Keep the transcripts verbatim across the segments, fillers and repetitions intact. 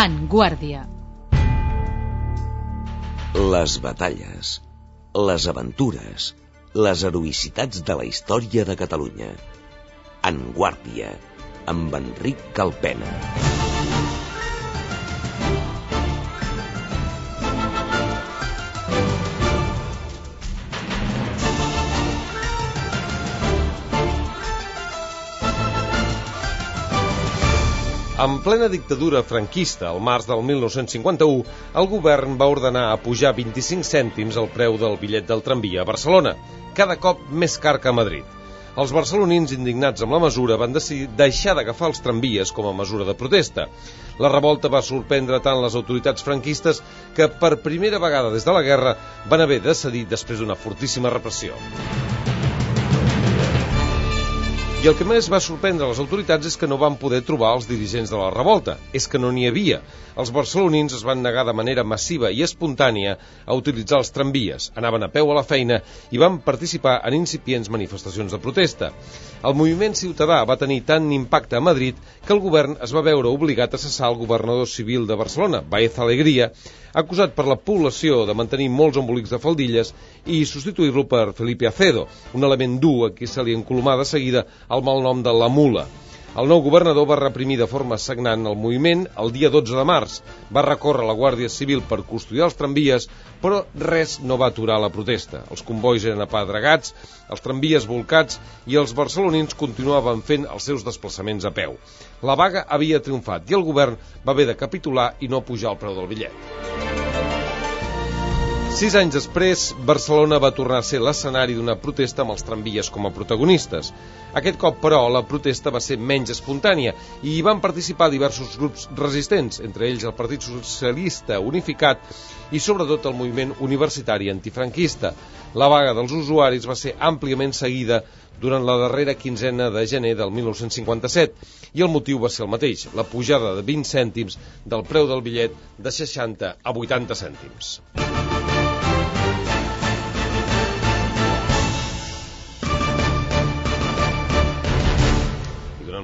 En Guàrdia. Les batalles, les aventures, les heroïcitats de la història de Catalunya. En Guàrdia, amb Enric Calpena. En plena dictadura franquista, al març del mil nou-cents cinquanta-u, el govern va ordenar apujar vint-i-cinc cèntims el preu del bitllet del tramvia a Barcelona, cada cop més car que a Madrid. Els barcelonins, indignats amb la mesura, van decidir deixar d'agafar els tramvies com a mesura de protesta. La revolta va sorprendre tant les autoritats franquistes que, per primera vegada des de la guerra, van haver de cedir després d'una fortíssima repressió. I el que més va sorprendre les autoritats és que no van poder trobar els dirigents de la revolta. És que no n'hi havia. Els barcelonins es van negar de manera massiva i espontània a utilitzar els tramvies, anaven a peu a la feina i van participar en incipients manifestacions de protesta. El moviment ciutadà va tenir tant impacte a Madrid que el govern es va veure obligat a cessar el governador civil de Barcelona, Baez Alegría, acusat per la població de mantenir molts embolics de faldilles, i substituir-lo per Felipe Acedo, un element dur a qui se li encolomà de seguida el malnom de la mula. El nou governador va reprimir de forma sagnant el moviment el dia dotze de març. Va recórrer la Guàrdia Civil per custodiar els tramvies, però res no va aturar la protesta. Els combois eren apedregats, els tramvies volcats i els barcelonins continuaven fent els seus desplaçaments a peu. La vaga havia triomfat i el govern va haver de capitular i no pujar el preu del bitllet. Sis anys després, Barcelona va tornar a ser l'escenari d'una protesta amb els tramvies com a protagonistes. Aquest cop, però, la protesta va ser menys espontània i hi van participar diversos grups resistents, entre ells el Partit Socialista Unificat i sobretot el moviment universitari antifranquista. La vaga dels usuaris va ser àmpliament seguida durant la darrera quinzena de gener del mil nou-cents cinquanta-set i el motiu va ser el mateix, la pujada de vint cèntims del preu del bitllet de seixanta a vuitanta cèntims.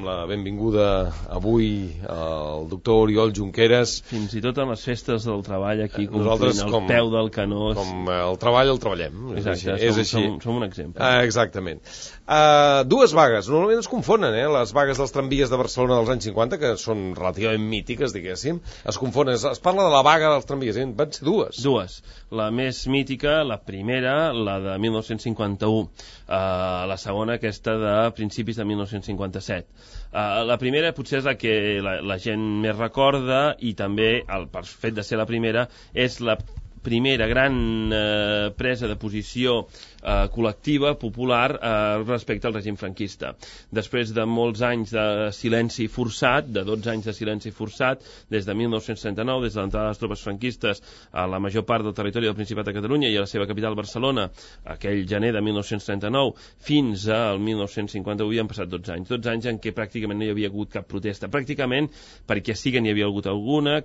La benvinguda avui al doctor Oriol Junqueras. Fins i tot en les festes del treball aquí complint el peu del canó. Com el treball el treballem. Exacte, és som, així. Som, som un exemple. Ah, exactament. Uh, dues vagues, normalment es confonen, eh? Les vagues dels tramvies de Barcelona dels anys cinquanta, que són relativament mítiques, diguéssim, es confonen, es, es parla de la vaga dels tramvies, eh? Van ser dues. Dues. La més mítica, la primera, la de mil nou-cents cinquanta-u, uh, la segona, aquesta de principis de mil nou-cents cinquanta-set. Uh, la primera potser és la que la, la gent més recorda i també, el, per fet de ser la primera, és la primera gran eh, presa de posició eh, col·lectiva, popular, eh, respecte al règim franquista. Després de molts anys de silenci forçat, de dotze anys de silenci forçat, des de mil nou-cents trenta-nou, des de l'entrada de les tropes franquistes a la major part del territori del Principat de Catalunya i a la seva capital, Barcelona, aquell gener de mil nou-cents trenta-nou, fins al mil nou-cents cinquanta-u, hi han passat dotze anys. dotze anys en què pràcticament no hi havia hagut cap protesta. Pràcticament, perquè sí que n'hi havia hagut alguna.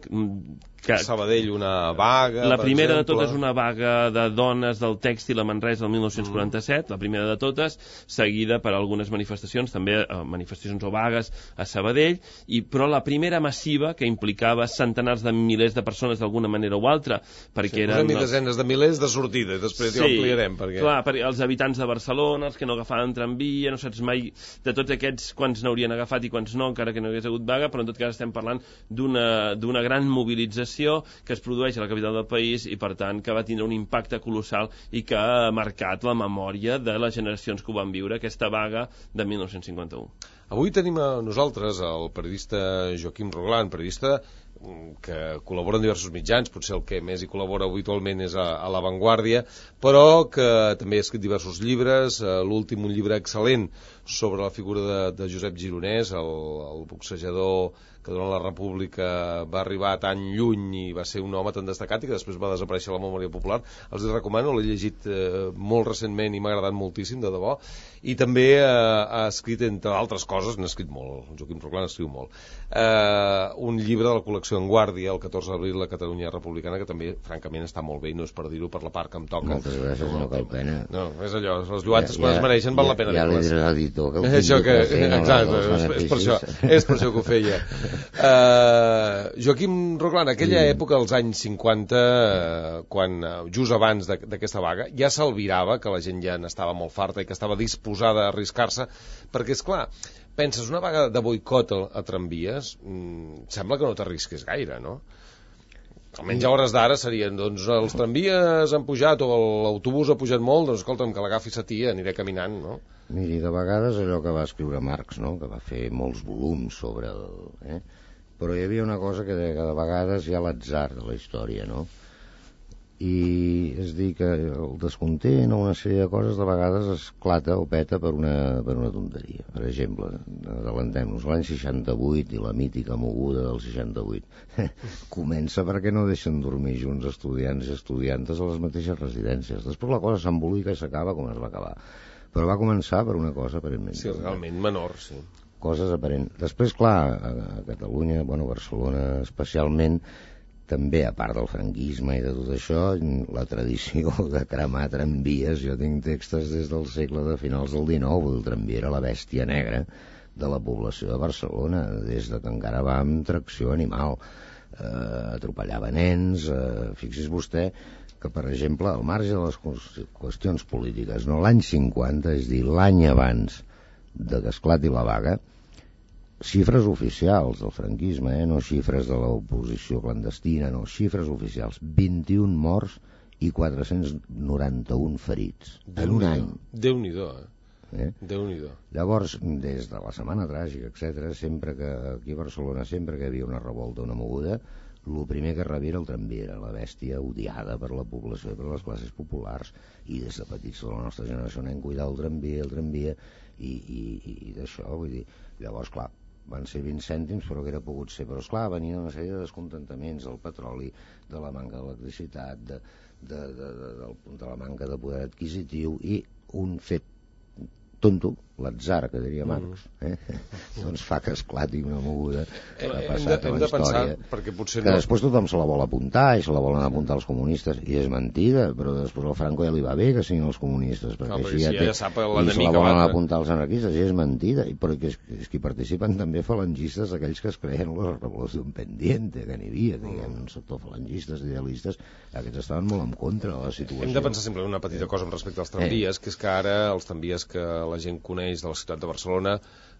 Que Sabadell una vaga, la primera de totes una vaga de dones del tèxtil a Manresa el mil nou-cents quaranta-set, mm. la primera de totes, seguida per algunes manifestacions, també eh, manifestacions o vagues a Sabadell, i, però la primera massiva que implicava centenars de milers de persones d'alguna manera o altra, perquè sí, eren... Sí, desenes de milers de sortida, després sí, ja ho ampliarem. Perquè... clar, perquè els habitants de Barcelona, els que no agafaven tramvia, no saps mai de tots aquests quants n'haurien agafat i quants no, encara que no hagués hagut vaga, però en tot cas estem parlant d'una d'una gran mobilització que es produeix a la capital del país i, per tant, que va tindre un impacte colossal i que ha marcat la memòria de les generacions que ho van viure, aquesta vaga de mil nou-cents cinquanta-u. Avui tenim a nosaltres el periodista Joaquim Roglán, periodista que col·labora en diversos mitjans, potser el que més hi col·labora habitualment és a, a La Vanguardia, però que també ha escrit diversos llibres, l'últim un llibre excel·lent sobre la figura de, de Josep Gironès, el, el boxejador que durant la República va arribar tan lluny i va ser un home tan destacat i que després va desaparèixer a la memòria popular. Els recomano, l'he llegit eh, molt recentment i m'ha agradat moltíssim, de debò, i també eh, ha escrit, entre altres coses, n'ha escrit molt, el Joaquim Roclà n'escriu molt. Uh, un llibre de la col·lecció En Guàrdia, el catorze d'abril, la Catalunya Republicana, que també, francament, està molt bé, i no és per dir-ho per la part que em toca. Moltes gràcies, no cal pena. No, és allò, les lluances, quan es mereixen, val la pena. Ja li diré a l'editor que ho això que, fer, no, exacte, és, és, per això, és per això que ho feia. Uh, Joaquim Roclà, en aquella sí. època, als anys cinquanta, uh, quan, uh, just abans d'aquesta vaga, ja s'albirava que la gent ja n'estava molt farta i que estava disposada a arriscar-se, perquè, és clar, penses, una vaga de boicot a, a tramvies, mmm, sembla que no t'arrisquis gaire, no? Almenys a hores d'ara serien, doncs, els tramvies han pujat o l'autobús ha pujat molt, doncs, escolta'm, que l'agafi sa tia, aniré caminant, no? Miri, de vegades allò que va escriure Marx, no?, que va fer molts volums sobre el... Eh? Però hi havia una cosa que de, que de vegades hi ha l'atzar de la història, no? I és dir que el descontent o una sèrie de coses de vegades esclata o peta per una, per una tonteria. Per exemple, adellantem-nos, l'any seixanta-vuit i la mítica moguda del seixanta-vuit comença perquè no deixen dormir junts estudiants i estudiantes a les mateixes residències. Després la cosa s'embolica i s'acaba com es va acabar, però va començar per una cosa aparentment sí, realment menor, sí. Coses aparents. Després, clar, a Catalunya, bueno, a Barcelona especialment, també, a part del franquisme i de tot això, la tradició de cremar tramvies, jo tinc textos des del segle de finals del dinou, el tramvia era la bèstia negra de la població de Barcelona, des de que encara va amb tracció animal, eh, atropellava nens, eh, fixi's vostè que, per exemple, al marge de les qüestions polítiques, no, l'any cinquanta, és dir, l'any abans de que esclati la vaga, xifres oficials del franquisme, eh? No xifres de l'oposició clandestina, no, xifres oficials, vint-i-un morts i quatre-cents noranta-un ferits en un any. Déu-n'hi-do, eh? Eh? Déu-n'hi-do. Llavors, des de la Setmana Tràgica, etcètera, sempre que aquí a Barcelona, sempre que hi havia una revolta, una moguda, el primer que rebia era el tramvia, era la bèstia odiada per la població i per les classes populars, i des de petits de la nostra generació anem cuidar el tramvia, el tramvia, i, i, i d'això, vull dir, llavors, clar, van ser vint cèntims, però que era pogut ser. Però, esclar, venien una sèrie de descontentaments del petroli, de la manca d'electricitat, de, de, de, de, de, de la manca de poder adquisitiu, i un fet tonto, l'atzar, que diria Marx, eh? doncs fa que esclati una moguda que ha passat a la història, perquè potser que no... després tothom se la vol apuntar i se la volen apuntar els comunistes, i és mentida, però després al Franco ja li va bé que siguin els comunistes, perquè no, així ja, si té, ja sap i se la volen apuntar els anarquistes, i és mentida, i perquè és, és que hi participen també falangistes, aquells que es creen la revolució pendiente, que n'hi havia, que hi ha un sector falangistes, idealistes, aquests estaven molt en contra de la situació. Hem de pensar sempre una petita cosa respecte als tramvies, eh. que és que ara els tramvies que la gent coneix de la ciutat de Barcelona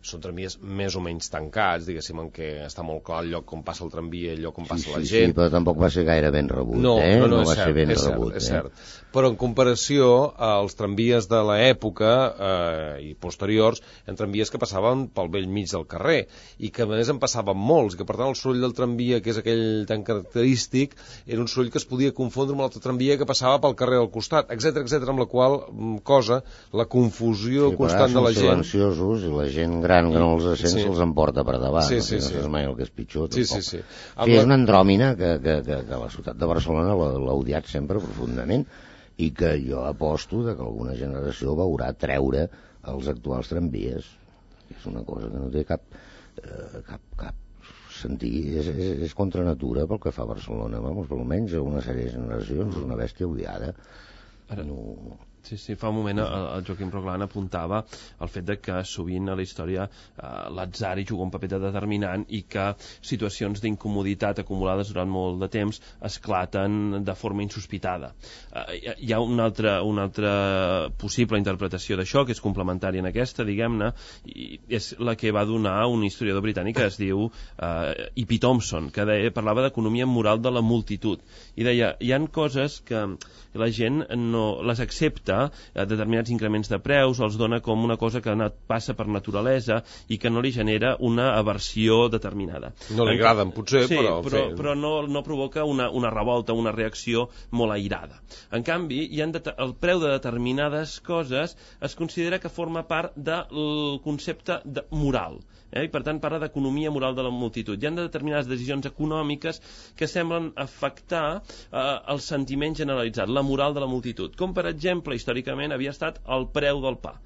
són tramvies més o menys tancats, diguéssim, en què està molt clar el lloc on passa el tramvia, el lloc on passa sí, la sí, gent. Sí, però tampoc va ser gaire ben rebut, no, eh? No, no, no va cert, ser ben és rebut, cert, és eh? cert. Però en comparació als tramvies de l'època eh, i posteriors, en tramvies que passaven pel vell mig del carrer, i que a més en passaven molts, i que per tant el soroll del tramvia, que és aquell tan característic, era un soroll que es podia confondre amb l'altre tramvia que passava pel carrer al costat, etcètera, etcètera, amb la qual cosa, la confusió sí, constant de la gent... silenciosos, i la gent gran que no els sent sí. se'ls emporta per davant, sí, no, sí, no sí. saps mai el que és pitjor, sí, tampoc. sí, sí. Sí, la... És una andròmina que, que, que, que la ciutat de Barcelona l'ha odiat sempre profundament, i que jo aposto de que alguna generació veurà treure els actuals tramvies. És una cosa que no té cap eh, cap, cap sentit, és, és, és contra natura pel que fa a Barcelona, vamos, per almenys una sèrie de generacions, és una bèstia odiada. Ara... No... Sí, sí, fa un moment el, el Joaquim Roclà apuntava el fet de que sovint a la història eh, l'atzar hi juga un paper determinant i que situacions d'incomoditat acumulades durant molt de temps esclaten de forma insospitada. Eh, hi ha una altra, una altra possible interpretació d'això, que és complementària en aquesta, diguem-ne, i és la que va donar un historiador britànic que es diu eh, E P Thompson, que deia, parlava d'economia moral de la multitud, i deia, hi han coses que la gent no les accepta, determinats increments de preus, els dona com una cosa que passa per naturalesa i que no li genera una aversió determinada. No li agraden, potser, sí, però... però, però no, no provoca una, una revolta, una reacció molt airada. En canvi, hi ha el preu de determinades coses es considera que forma part del concepte de moral. Eh? I per tant parla d'economia moral de la multitud. Hi ha determinades decisions econòmiques que semblen afectar eh, el sentiment generalitzat, la moral de la multitud, com per exemple històricament havia estat el preu del pa.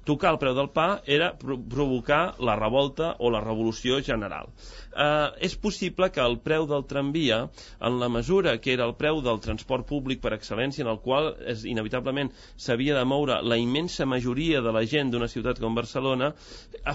tocar el preu del pa era provocar la revolta o la revolució general. Eh, és possible que el preu del tramvia, en la mesura que era el preu del transport públic per excel·lència, en el qual és, inevitablement s'havia de moure la immensa majoria de la gent d'una ciutat com Barcelona,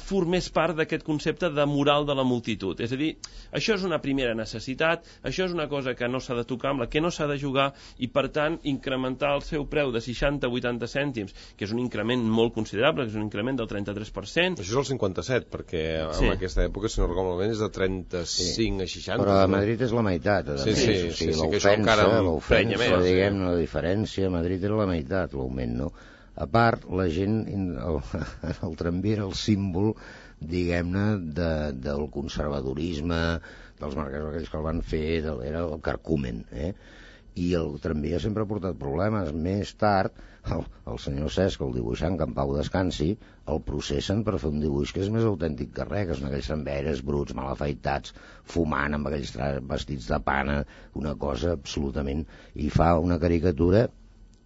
formés part d'aquest concepte de moral de la multitud. És a dir, això és una primera necessitat, això és una cosa que no s'ha de tocar, amb la que no s'ha de jugar, i per tant incrementar el seu preu de seixanta a vuitanta cèntims, que és un increment molt considerable, que és un increment del trenta-tres per cent. Això és el cinquanta-set, perquè Sí. en aquesta època, si no recordo malament, és de trenta-cinc a seixanta. Però a Madrid és la meitat, a Sí, més. sí, O sigui, sí, sí, que això encara l'ofensa, emprenya l'ofensa, més, diguem, sí. la diferència, a Madrid era la meitat, l'augment, no? A part, la gent, el, el tramvia era el símbol, diguem-ne, de, del conservadorisme, dels mercats aquells que el van fer, de, era el carcumen, eh? I el tramvia sempre ha portat problemes. Més tard, el, el senyor Cesc, el dibuixant, que en pau descansi, el processen per fer un dibuix que és més autèntic que res, que són aquells samberes bruts, mal afaitats, fumant amb aquells vestits de pana, una cosa absolutament... I fa una caricatura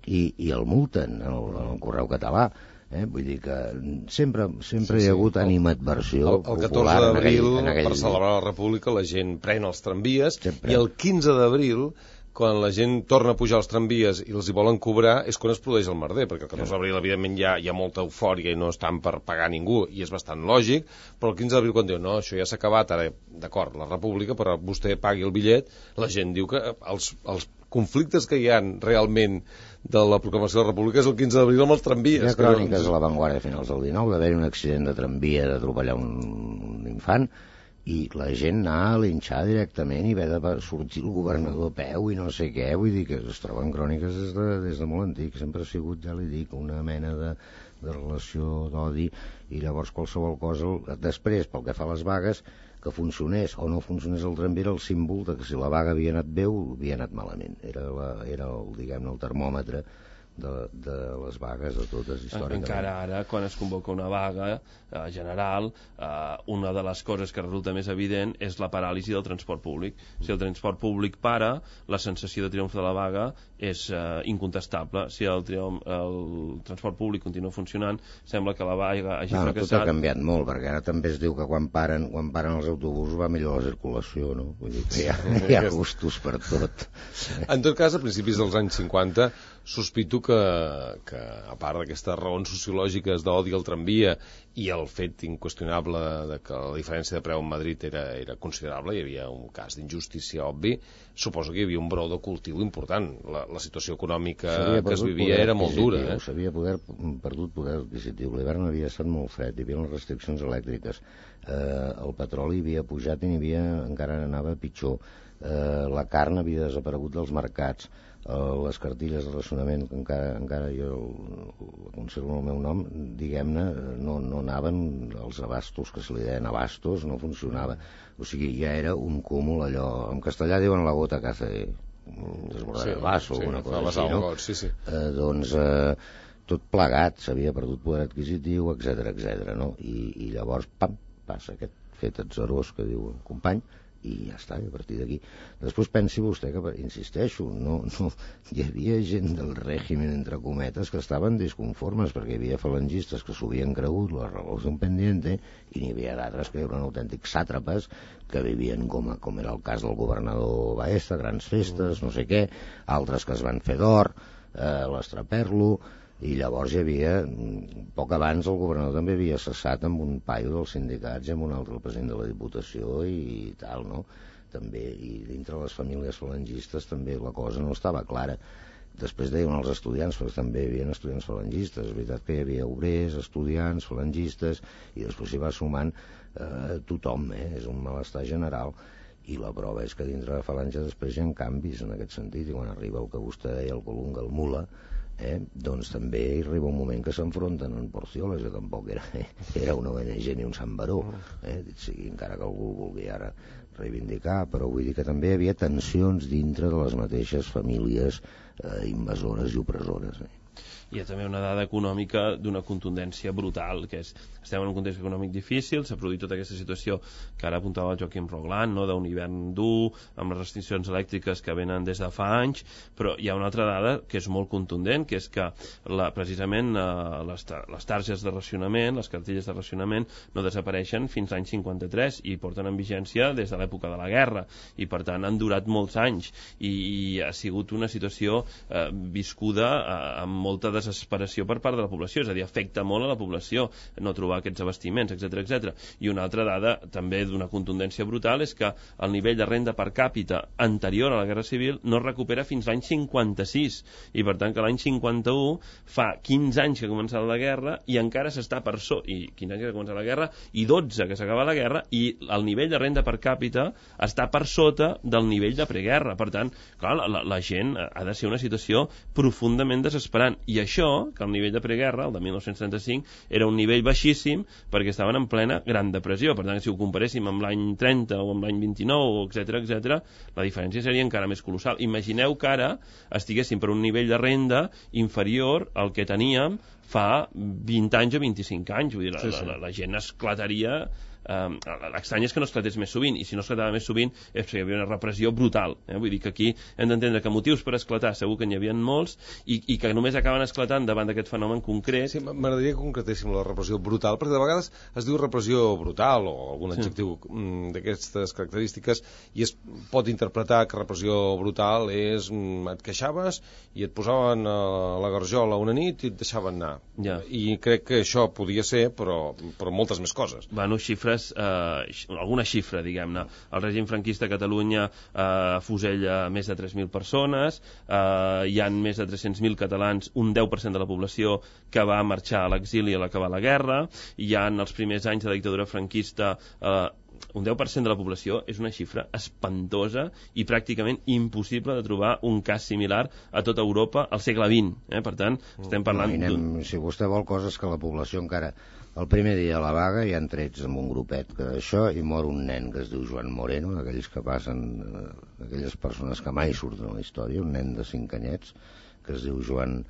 i, i el multen en el, en el Correu Català. Eh? Vull dir que sempre, sempre Sí, hi ha sí. hagut animadversió El, el popular catorze en d'abril, aquell, en aquell... per celebrar la República, la gent pren els tramvies, Sempre. i el quinze d'abril, quan la gent torna a pujar als tramvies i els hi volen cobrar, és quan es produeix el merder, perquè el catorze d'abril, evidentment, hi ha, hi ha molta eufòria i no estan per pagar ningú, i és bastant lògic, però el quinze d'abril, quan diu, no, això ja s'ha acabat, ara, d'acord, la República, però vostè pagui el bitllet, la gent diu que els, els conflictes que hi ha realment de la proclamació de la República és el quinze d'abril amb els tramvies. Hi ha cròniques a l'avantguàrdia a finals del dinou d'haver-hi un accident de tramvia, d'atropellar un, un infant, i la gent anar a linxar directament i haver de sortir el governador a peu i no sé què. Vull dir que es troben cròniques des de, des de molt antic. Sempre ha sigut, ja li dic, una mena de, de relació d'odi, i llavors qualsevol cosa... Després, pel que fa a les vagues, que funcionés o no funcionés el tramvia, era el símbol de que si la vaga havia anat bé o havia anat malament. Era, la, era el, diguem-ne, el termòmetre de, de les vagues de totes històricament. Encara ara, quan es convoca una vaga eh, general, eh, una de les coses que resulta més evident és la paràlisi del transport públic. Si el transport públic para, la sensació de triomf de la vaga és eh, incontestable. Si el, triomf, el transport públic continua funcionant, sembla que la vaga hagi no, fracassat. Tot ha canviat molt, perquè ara també es diu que quan paren, quan paren els autobusos va millor la circulació, no? Vull dir que hi ha, hi ha gustos per tot. En tot cas, a principis dels anys cinquanta, sospito que, que a part d'aquestes raons sociològiques d'odi al tramvia i el fet inqüestionable de que la diferència de preu en Madrid era, era considerable, hi havia un cas d'injustícia obvi, suposo que hi havia un brou de cultiu important. La, la situació econòmica que es vivia era molt dura. Eh? S'havia poder, perdut poder adquisitiu. L'hivern havia estat molt fred, hi havia les restriccions elèctriques. Eh, el petroli havia pujat i n'hi havia, encara anava pitjor. Eh, la carn havia desaparegut dels mercats. Uh, les cartilles de racionament, que encara, encara jo la conservo el meu nom, diguem-ne, no, no anaven, els abastos, que se li deien abastos, no funcionava. O sigui, ja era un cúmul allò... En castellà diuen la gota que hace desbordar sí, el vaso, sí, una cosa així, no? Got, sí, sí. Uh, doncs uh, tot plegat, s'havia perdut poder adquisitiu, etcètera, etcètera, no? I, i llavors, pam, passa aquest fet atzarós que diu el company, i ja està, a partir d'aquí. Després pensi vostè que, insisteixo, no, no, hi havia gent del règim, entre cometes, que estaven disconformes, perquè hi havia falangistes que s'ho havien cregut, la revolució pendiente, i n'hi havia d'altres que eren autèntics sàtrapes, que vivien com, a, com era el cas del governador Baesta, grans festes, no sé què, altres que es van fer d'or, eh, l'estraperlo, i llavors hi havia, poc abans el governador també havia cessat amb un paio dels sindicats i amb un altre el president de la Diputació i, i tal, no? També, i dintre les famílies falangistes també la cosa no estava clara. Després deien els estudiants, però també hi havia estudiants falangistes, és veritat que hi havia obrers, estudiants, falangistes, i després s'hi va sumant eh, tothom, eh? És un malestar general. I la prova és que dintre de falange després hi ha canvis en aquest sentit, i quan arriba el que vostè deia, el Colunga, el Mula, Eh, doncs també hi arriba un moment que s'enfronten en Porcioles, que tampoc era, eh, era una O N G ni un Sant Baró, eh, sigui, encara que algú vulgui ara reivindicar, però vull dir que també hi havia tensions dintre de les mateixes famílies eh, invasores i opressores. Eh. hi ha també una dada econòmica d'una contundència brutal, que és, estem en un context econòmic difícil, s'ha produït tota aquesta situació que ara apuntava el Joaquim Roglan, no? d'un hivern dur, amb les restriccions elèctriques que venen des de fa anys, però hi ha una altra dada que és molt contundent, que és que la, precisament eh, les, les targes de racionament, les cartilles de racionament, no desapareixen fins l'any cinquanta-tres i porten en vigència des de l'època de la guerra, i per tant han durat molts anys, i, i ha sigut una situació eh, viscuda eh, amb molta desesperació per part de la població, és a dir, afecta molt a la població no trobar aquests abastiments, etcètera, etcètera. I una altra dada també d'una contundència brutal és que el nivell de renda per càpita anterior a la Guerra Civil no es recupera fins l'any cinquanta-sis, i per tant que l'any cinquanta-u fa quinze anys que ha començat la guerra i encara s'està per so i quinze anys que ha començat la guerra i dotze que s'acaba la guerra, i el nivell de renda per càpita està per sota del nivell de preguerra. Per tant, clar, la, la gent ha de ser una situació profundament desesperant, i això, que el nivell de preguerra, el de mil nou-cents trenta-cinc, era un nivell baixíssim perquè estaven en plena Gran Depressió. Per tant, si ho comparéssim amb l'any trenta o amb l'any vint-i-nou, etcètera, etcètera, la diferència seria encara més colossal. Imagineu que ara estiguéssim per un nivell de renda inferior al que teníem fa vint anys o vint-i-cinc anys. Vull dir, la, sí, sí. la, la, la gent esclataria. Um, l'estrany és que no esclatés més sovint, i si no esclatava més sovint és perquè hi havia una repressió brutal, eh? Vull dir que aquí hem d'entendre que motius per esclatar segur que n'hi havia molts, i, i que només acaben esclatant davant d'aquest fenomen concret. Sí, m'agradaria que concretéssim la repressió brutal, perquè de vegades es diu repressió brutal o algun adjectiu sí. mm, d'aquestes característiques, i es pot interpretar que repressió brutal és mm, et queixaves i et posaven a la garjola una nit i et deixaven anar, ja. I crec que això podia ser, però, però moltes més coses. Bueno, xifres Eh, alguna xifra, diguem-ne. El règim franquista a Catalunya eh, fusella més de tres mil persones, eh, hi han més de tres-cents mil catalans, un deu per cent de la població que va marxar a l'exili a l'acabar la guerra, hi ha els primers anys de la dictadura franquista eh, un deu per cent de la població. És una xifra espantosa i pràcticament impossible de trobar un cas similar a tota Europa al segle vint, eh? Per tant, estem parlant no, anem, si vostè vol coses que la població encara el primer dia a la vaga hi han trets amb un grupet que això, i mor un nen que es diu Joan Moreno, d'aquells que passen d'aquelles persones que mai surten a la història, un nen de cinc anyets que es diu Joan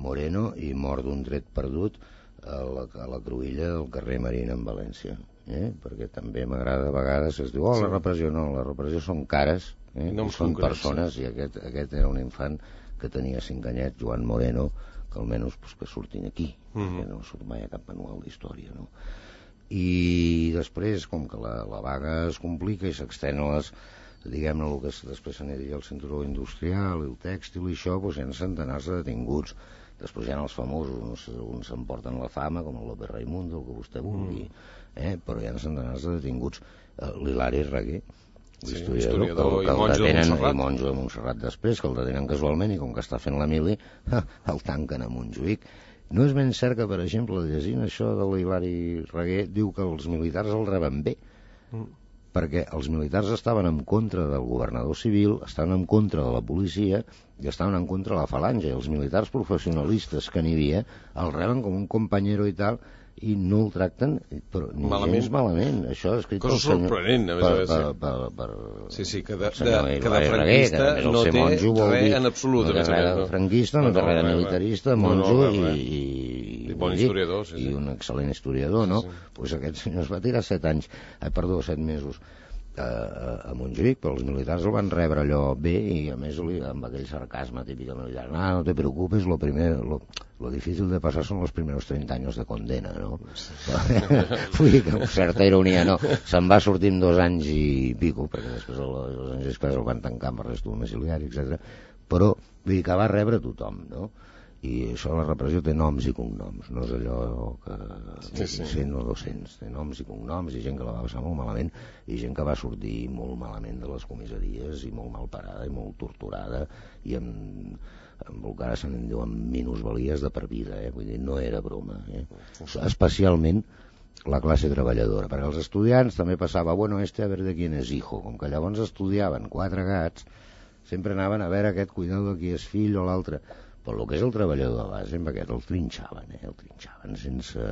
Moreno, i mor d'un tret perdut a la, a la cruïlla del carrer Marina en València. Eh? Perquè també m'agrada a vegades es diu, oh, la repressió no, la repressió són cares, eh? No són persones, sí. I aquest, aquest era un infant que tenia cinc anyets, Joan Moreno, que almenys pues, que surtin aquí, mm-hmm. que no surt mai a cap manual d'història, no? I després, com que la, la vaga es complica i s'extén a les, diguem-ne, el que després se n'hi diria el cinturó industrial, el tèxtil i això, doncs hi ha centenars de detinguts. Després hi ha els famosos, uns s'emporten la fama, com el López Raimundo, el que vostè vulgui, eh? Però hi ha centenars de detinguts. L'Hilari Reguer, l'historiador, sí, que, que el detenen, i monjo de Montserrat després, que el detenen casualment, i com que està fent la mili, el tanquen a Montjuïc. No és ben cert que, per exemple, llegint això de l'Hilari Reguer, diu que els militars el reben bé, mm. perquè els militars estaven en contra del governador civil, estaven en contra de la policia i estaven en contra de la falange. Els militars professionalistes que n'hi havia el reben com un companyero i tal, i no el tracten, però ni malament. Gens malament. Això és escrit cosa sorprenent, a més a més. Per, per, per, per, sí, sí, que de, de, que de franquista Reguer, no té monjo, res dir, en absolut. No té res de franquista, no té res de militarista, monjo no, no, i, i, i, bon historiador, sí, i sí. un excel·lent historiador, no? Doncs sí, sí. pues aquest senyor es va tirar set anys, eh, perdó, set mesos a, a Montjuïc, però els militars el van rebre allò bé, i a més li, amb aquell sarcasme típic militar, no, no te preocupes, lo primer, lo, lo difícil de passar són los primeros treinta anys de condena, no? Vull dir que amb certa ironia, no, se'n va sortir en dos anys i pico, perquè després el, els anys després el van tancar amb arrest domiciliari, etcètera. Però vull dir que va rebre tothom, no? I això, la repressió té noms i cognoms, no és allò que sí, sí. cent o dos-cents, té noms i cognoms, i gent que la va passar molt malament, i gent que va sortir molt malament de les comissaries, i molt mal parada, i molt torturada, i amb, amb el que ara se'n diuen minusvalies de per vida, eh? Vull dir, no era broma, eh? Especialment la classe treballadora, perquè els estudiants també passava, bueno, este a ver de quién es hijo, com que llavors estudiaven quatre gats, sempre anaven a veure aquest cuidado de qui és fill o l'altre. Però el que és el treballador de base, amb aquest el trinxaven, eh? El trinxaven sense,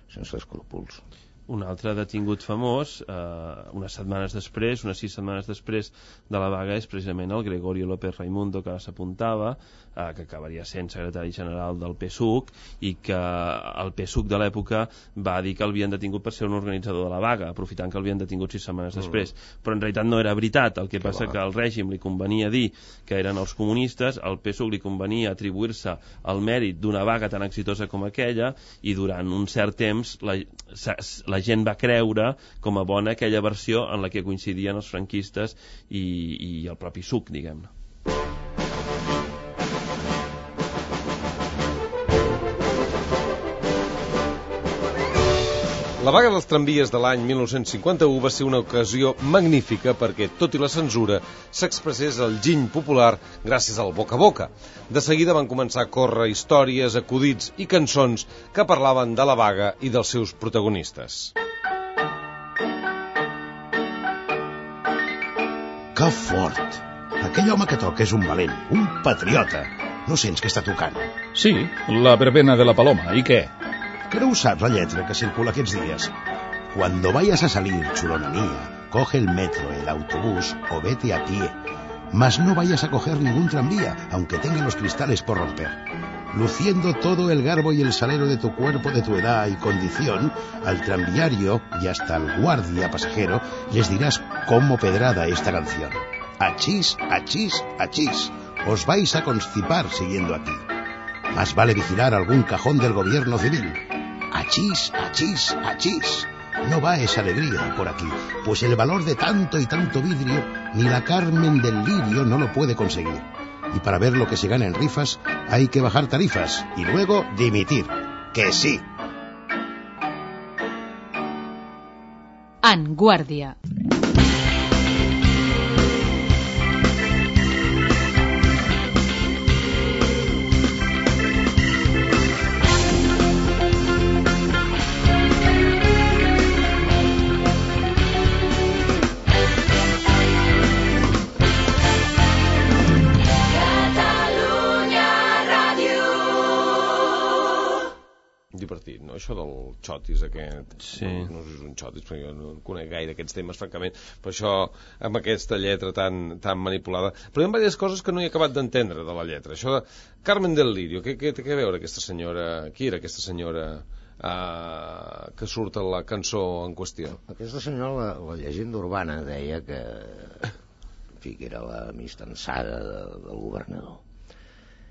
sense escrúpols. Un altre detingut famós, eh, unes setmanes després, unes sis setmanes després de la vaga, és precisament el Gregorio López Raimundo, que s'apuntava, eh, que acabaria sent secretari general del P S U C, i que el P S U C de l'època va dir que l'havien detingut per ser un organitzador de la vaga, aprofitant que l'havien detingut sis setmanes mm. després. Però en realitat no era veritat. El que passa que al règim li convenia dir que eren els comunistes, al P S U C li convenia atribuir-se el mèrit d'una vaga tan exitosa com aquella, i durant un cert temps la, la gent va creure com a bona aquella versió en la que coincidien els franquistes i, i el propi S U C, diguem-ne. La vaga dels tramvies de l'any mil nou-cents cinquanta-u va ser una ocasió magnífica perquè, tot i la censura, s'expressés el giny popular gràcies al boca a boca. De seguida van començar a córrer històries, acudits i cançons que parlaven de la vaga i dels seus protagonistes. Que fort! Aquell home que toca és un valent, un patriota. No sents que està tocant? Sí, la verbena de la Paloma. ¿Y qué? Que no usas la letra que circula aquests días. Cuando vayas a salir, chulona mía, coge el metro, el autobús o vete a pie. Mas no vayas a coger ningún tranvía, aunque tenga los cristales por romper. Luciendo todo el garbo y el salero de tu cuerpo, de tu edad y condición, al tranviario y hasta al guardia pasajero les dirás como pedrada esta canción. Achís, achís, achís, os vais a constipar siguiendo aquí. Más vale vigilar algún cajón del gobierno civil. Achís, achís, achís. No va esa alegría por aquí, pues el valor de tanto y tanto vidrio ni la Carmen del Lirio no lo puede conseguir. Y para ver lo que se gana en rifas hay que bajar tarifas y luego dimitir. ¡Que sí! En Guàrdia. Divertit, no? Això del xotis aquest, sí. no, no sé si és un xotis perquè jo no conec gaire aquests temes francament, però això amb aquesta lletra tan, tan manipulada, però hi ha diverses coses que no he acabat d'entendre de la lletra. Això de Carmen del Lirio, què, què té a veure aquesta senyora, qui era aquesta senyora uh, que surt a la cançó en qüestió? Aquesta senyora, la, la llegenda urbana deia que, en fi, que era la mistansada de, del governador.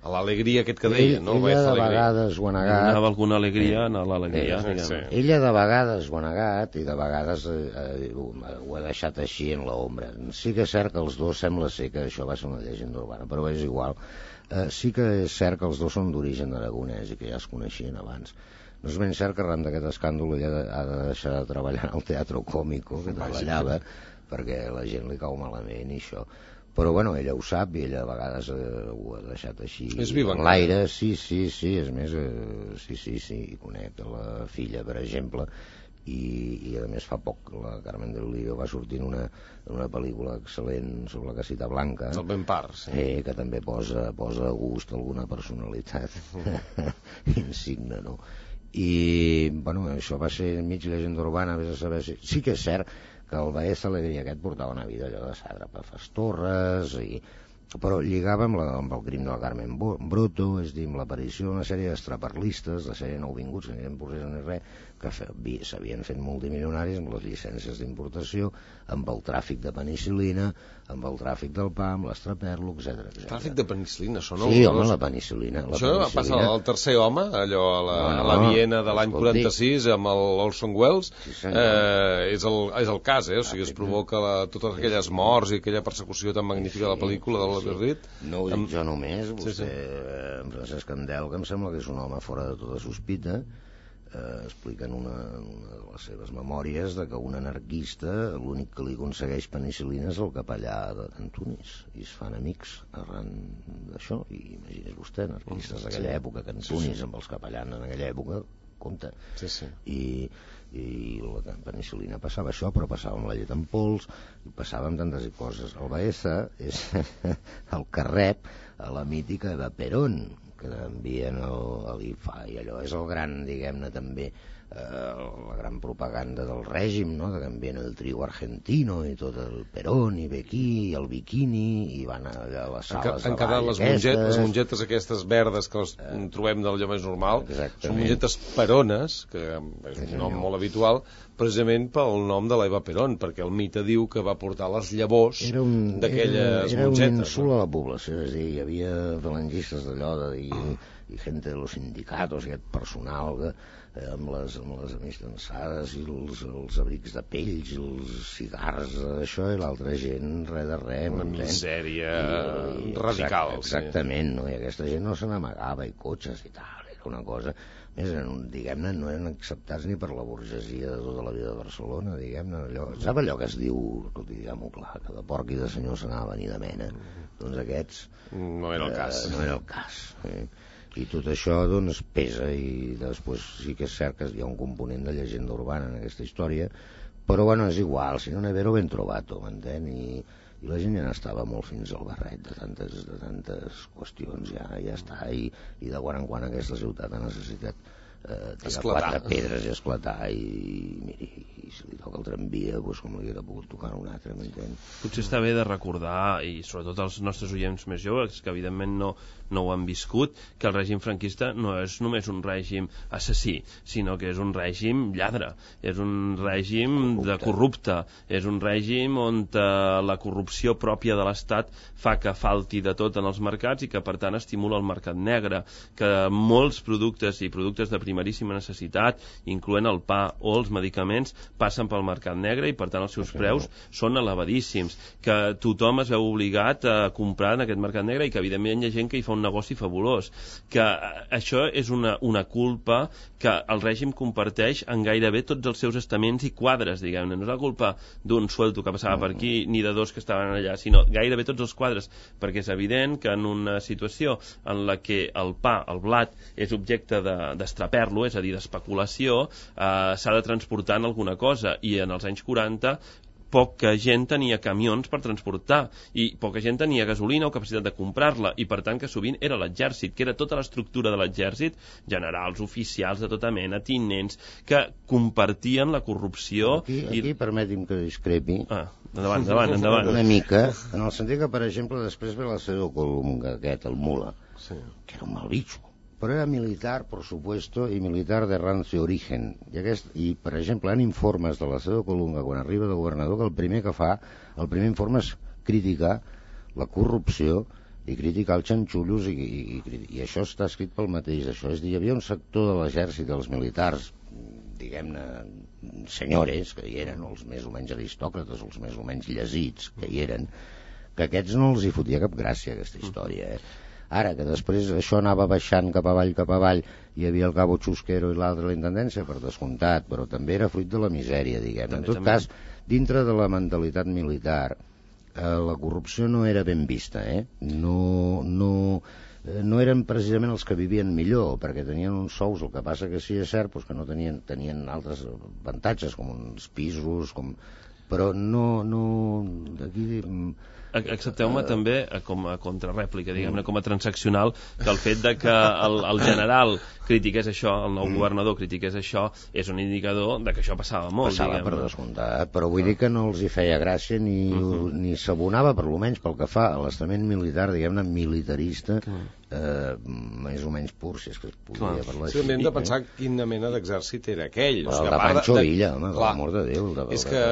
A l'alegria aquest que deia, Ell, no? Ella de vegades ho ha negat. Donava alguna alegria a l'alegria. Eh, sí. Ella de vegades ho ha negat i de vegades eh, eh, ho ha deixat així en l'ombra. Sí que és cert que els dos sembla ser que això va ser una llegenda urbana, però és igual. Eh, sí que és cert que els dos són d'origen aragonès i que ja es coneixien abans. No és ben cert que arran d'aquest escàndol ella ha de deixar de treballar al Teatro Cómico, que treballava, perquè la gent li cau malament i això. Però bueno, ella ho sap i ella a vegades eh, ho ha deixat així en l'aire. Sí, sí, sí, és més, eh, sí, sí, sí, conec la filla, per exemple, i, i a més fa poc la Carmen del Lirio va sortir en una, en una pel·lícula excel·lent sobre la Casita Blanca, el Ben Par, sí. eh, que també posa, posa a gust alguna personalitat insigne, no? I, bueno, això va ser mig llegenda urbana, vés a saber si... Sí que és cert que el Baez Alegria aquest portava una vida allò de sàtrapa Torres, i... però lligava amb, la, amb el crim de la Carmen Bruto, és dir, amb l'aparició d'una sèrie d'extraparlistes, la sèrie nouvinguts, que ni eren procés ni res, que s'havien fet multimilionaris amb les llicències d'importació, amb el tràfic de penicil·lina, amb el tràfic del pa, amb l'estraperlo, etcètera, etcètera. Tràfic de penicil·lina, això no? Sí, home, la penicil·lina. La això va passar al Tercer Home, allò a la, no, no, a la Viena de l'any quaranta-sis, amb l'Orson Welles, sí, eh, és, el, és el cas, eh? O sigui, es provoca la, totes aquelles morts i aquella persecució tan magnífica de la pel·lícula de l'Albert Reed. No ho dic jo només, vostè, sí, sí. En Francesc Candel, que em sembla que és un home fora de tota sospita, eh, explica en una, una de les seves memòries de que un anarquista l'únic que li aconsegueix penicil·lina és el capellà d'Antunis, i es fan amics arran d'això. I imagines vostè, anarquistes d'aquella època, que Antunis, sí, sí, amb els capellans en aquella època, compte. Sí, sí. I, i la penicil·lina passava això, però passava amb la llet en pols, i passava amb tantes coses. El Baeza és el que rep a la mítica de Perón, que envien a l'I F A, i allò és el gran, diguem-ne, també la gran propaganda del règim, no? De que envien el trigo argentino i tot el Perón i ve aquí, i el biquini, i van a les sales han quedat les mongetes, les mongetes aquestes verdes que les eh, trobem d'allò més normal. Exactament. Són mongetes perones, que és un nom molt habitual, precisament pel nom de l'Eva Perón, perquè el mite diu que va portar les llavors d'aquelles mongetes. Era un insult a la població, és a dir, hi havia falangistes d'allò de dir, i gent de los sindicatos, aquest personal que, eh, amb les, amb les amistançades i els, els abrics de pells i els cigars, això, i l'altra gent, res de res. Una misèria I, i, radical. Exact, exactament, no? I aquesta gent no se n'amagava, i cotxes i tal, era una cosa... Més, diguem-ne, no eren acceptats ni per la burgesia de tota la vida de Barcelona, diguem-ne, allò... Sap allò que es diu, escolti, diguem-ho clar, que de porc i de senyor se n'anava a venir de mena? Doncs aquests... No era el cas. Eh, no era el cas, eh? I tot això doncs pesa, i després sí que és cert que hi ha un component de llegenda urbana en aquesta història, però bueno, és igual, si no n'he vero ben trobat, m'entén? I, i la gent ja n'estava molt fins al barret de tantes, de tantes qüestions, ja, ja està, i, i de quan en quan aquesta ciutat ha necessitat eh, tirar quatre pedres i esclatar, i miri, i si li toca el tramvia, doncs com li haguera pogut tocar un altre, m'entén? Potser està bé de recordar, i sobretot els nostres oients més joves, que evidentment no, no ho han viscut, que el règim franquista no és només un règim assassí, sinó que és un règim lladre, és un règim corrupte. de corrupte, és un règim on eh, la corrupció pròpia de l'Estat fa que falti de tot en els mercats i que per tant estimula el mercat negre, que molts productes i productes de primeríssima necessitat, incloent el pa o els medicaments, passen pel mercat negre i per tant els seus preus són elevadíssims, que tothom es veu obligat a comprar en aquest mercat negre i que evidentment hi ha gent que hi fa un negoci fabulós, que això és una, una culpa que el règim comparteix en gairebé tots els seus estaments i quadres, diguem-ne. No és la culpa d'un suelto que passava per aquí ni de dos que estaven allà, sinó gairebé tots els quadres, perquè és evident que en una situació en la que el pa, el blat, és objecte d'estraper-lo, és a dir, d'especulació, eh, s'ha de transportar en alguna cosa, i en els anys quaranta poca gent tenia camions per transportar i poca gent tenia gasolina o capacitat de comprar-la, i per tant que sovint era l'exèrcit, que era tota l'estructura de l'exèrcit, generals, oficials de tota mena, tinents, que compartien la corrupció. Aquí, aquí i... permeti'm que discrepi. Ah, endavant, endavant, endavant. Una mica, en el sentit que, per exemple, després ve la Seu Colunga, aquest, el Mula, sí. que era un mal bitxo, però era militar, por supuesto, i militar de rancio origen. I, aquest, i per exemple, en informes de la Seu Colunga, quan arriba de governador, que el primer que fa, el primer informe és criticar la corrupció i criticar els xanxullos, i, i, i, i això està escrit pel mateix. Això és dir, hi havia un sector de l'exèrcit, dels militars, diguem-ne, senyores, que hi eren, els més o menys aristòcrates, els més o menys llegits, que hi eren, que aquests no els hi fotia cap gràcia, aquesta història, eh? Ara, que després això anava baixant cap avall, cap avall, hi havia el cabo Chusquero i l'altre la intendència, per descomptat, però també era fruit de la misèria, diguem. En tot també. cas, dintre de la mentalitat militar, eh, la corrupció no era ben vista, eh? No, no, eh, no eren precisament els que vivien millor, perquè tenien uns sous, el que passa que sí és cert, doncs que no tenien, tenien altres avantatges, com uns pisos, com... però no... no aquí... Accepteu-me també com a contrarèplica, diguem-ne, com a transaccional, que el fet de que el, el general critiqués això, el nou governador critiqués això, és un indicador de que això passava molt. Passava, per descomptat, però vull dir que no els hi feia gràcia ni, uh-huh. ni s'abonava, per lo menys pel que fa a l'estament militar, diguem-ne, militarista, uh-huh. eh, més o menys pur, si és que es podia parlar així. Sí, hem de pensar eh? quina mena d'exèrcit era aquell. Però o sigui, el de Pancho de... Villa, home, per l'amor de Déu. De... És que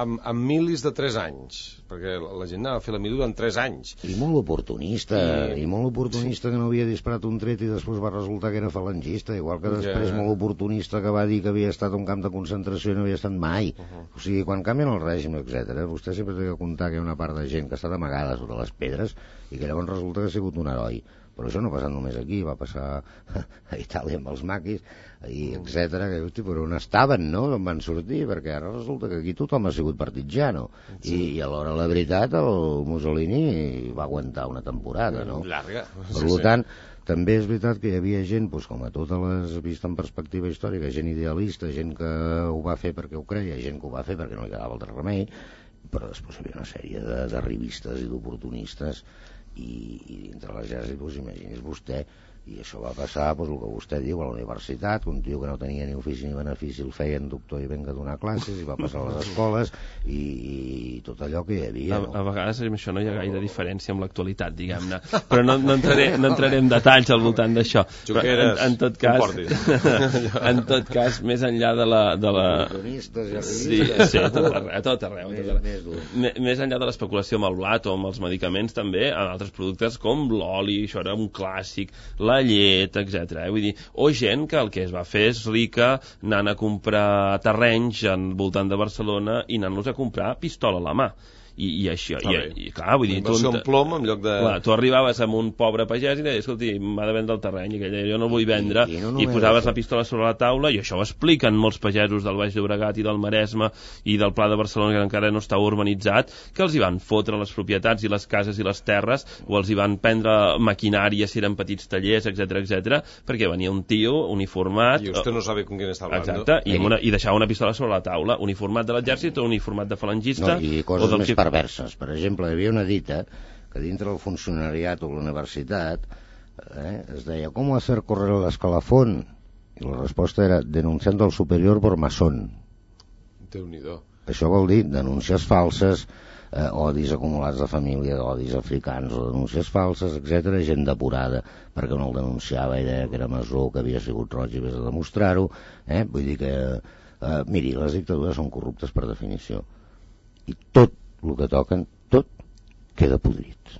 amb, amb milis de tres anys, perquè la gent anava a fer la mili durant tres anys. I molt oportunista, i, i molt oportunista sí. que no havia disparat un tret i després va resultar que era falangista, igual que després ja. molt oportunista que va dir que havia estat a un camp de concentració i no havia estat mai. Uh-huh. O sigui, quan canvien el règim, etcètera, vostè sempre té que comptar que hi ha una part de gent que ha estat amagada sota les pedres i que llavors resulta que ha sigut un heroi. Però això no ha passat només aquí, va passar a Itàlia amb els maquis, i etcètera, que hosti, però on estaven, no? On van sortir? Perquè ara resulta que aquí tothom ha sigut partigiano. Sí. I, I alhora, la veritat, el Mussolini va aguantar una temporada, no? Llarga. Per sí, tant, sí. també és veritat que hi havia gent, doncs, com a totes les vist en perspectiva històrica, gent idealista, gent que ho va fer perquè ho creia, gent que ho va fer perquè no li quedava altre remei, però després hi havia una sèrie de, de revistes i d'oportunistes, i, i dintre l'exèrcit, doncs, imagini's vostè I això va passar, doncs, el que vostè diu, a la universitat, un tio que no tenia ni ofici ni benefici el feien doctor i venga a donar classes, i va passar a les escoles, i, i tot allò que hi havia. A, no? a vegades amb això no hi ha gaire diferència amb l'actualitat, diguem-ne. Però no, no, entraré, no entraré en detalls al voltant d'això. Però en, en tot cas, en tot cas, més enllà de la... De la... Sí, sí, a tot arreu. A tot arreu, a tot arreu. Més, més enllà de l'especulació amb el blat o amb els medicaments, també, en altres productes com l'oli, això era un clàssic, la llet, etcètera. Eh? Vull dir, o gent que el que es va fer és rica anant a comprar terrenys al voltant de Barcelona i anant-los a comprar pistola a la mà. I, i això, i, i clar, vull dir... Inversió en plom en lloc de... Clar, tu arribaves amb un pobre pagès i deies, escolti, m'ha de vendre el terreny, i aquell deia, jo no el vull vendre, i, i, no i posaves la pistola sobre la taula, i això ho expliquen molts pagesos del Baix Llobregat i del Maresme i del Pla de Barcelona, que encara no està urbanitzat, que els hi van fotre les propietats i les cases i les terres, o els hi van prendre maquinària si eren petits tallers, etcètera, etcètera, perquè venia un tio uniformat... I usted no sabe con quién está hablando. Exacte, i, una, i deixava una pistola sobre la taula, uniformat de l'exèrcit o uniformat de falangista... No, i coses més perverses. Per exemple, hi havia una dita que dintre del funcionariat o la universitat eh, es deia ¿cómo hacer correr el escalafón? I la resposta era denunciando al superior por masón. Déu-n'hi-do. Això vol dir denúncies falses, eh, odis acumulats de família, odis africans o denúncies falses, etcètera, gent depurada perquè no el denunciava i deia que era masó, que havia sigut roig i vés a demostrar-ho. Eh? Vull dir que, eh, miri, les dictadures són corruptes per definició. I tot el que toquen, tot queda podrit.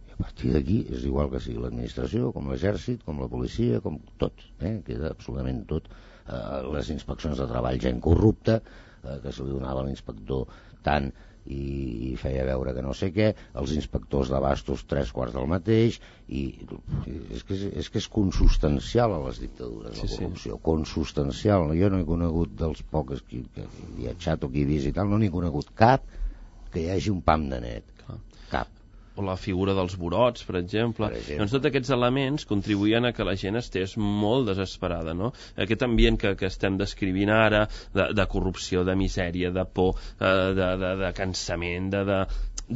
I a partir d'aquí és igual que sigui l'administració, com l'exèrcit, com la policia, com tot. Eh? Queda absolutament tot. Eh, les inspeccions de treball, gent corrupta, eh, que se li donava a l'inspector tant i, i feia veure que no sé què, els inspectors d'abastos tres quarts del mateix, i és que és, és, que és consustancial a les dictadures, sí, la corrupció, sí. Consustancial. Jo no he conegut dels pocs que, que he viatjat o que he vist i tal, no n'he conegut cap que hi hagi un pam de net. Clar. Cap. O la figura dels burots, per exemple. per exemple. Doncs tots aquests elements contribuïen a que la gent estés molt desesperada, no? Aquest ambient que, que estem descrivint ara, de, de corrupció, de misèria, de por, de, de, de cansament, de, de,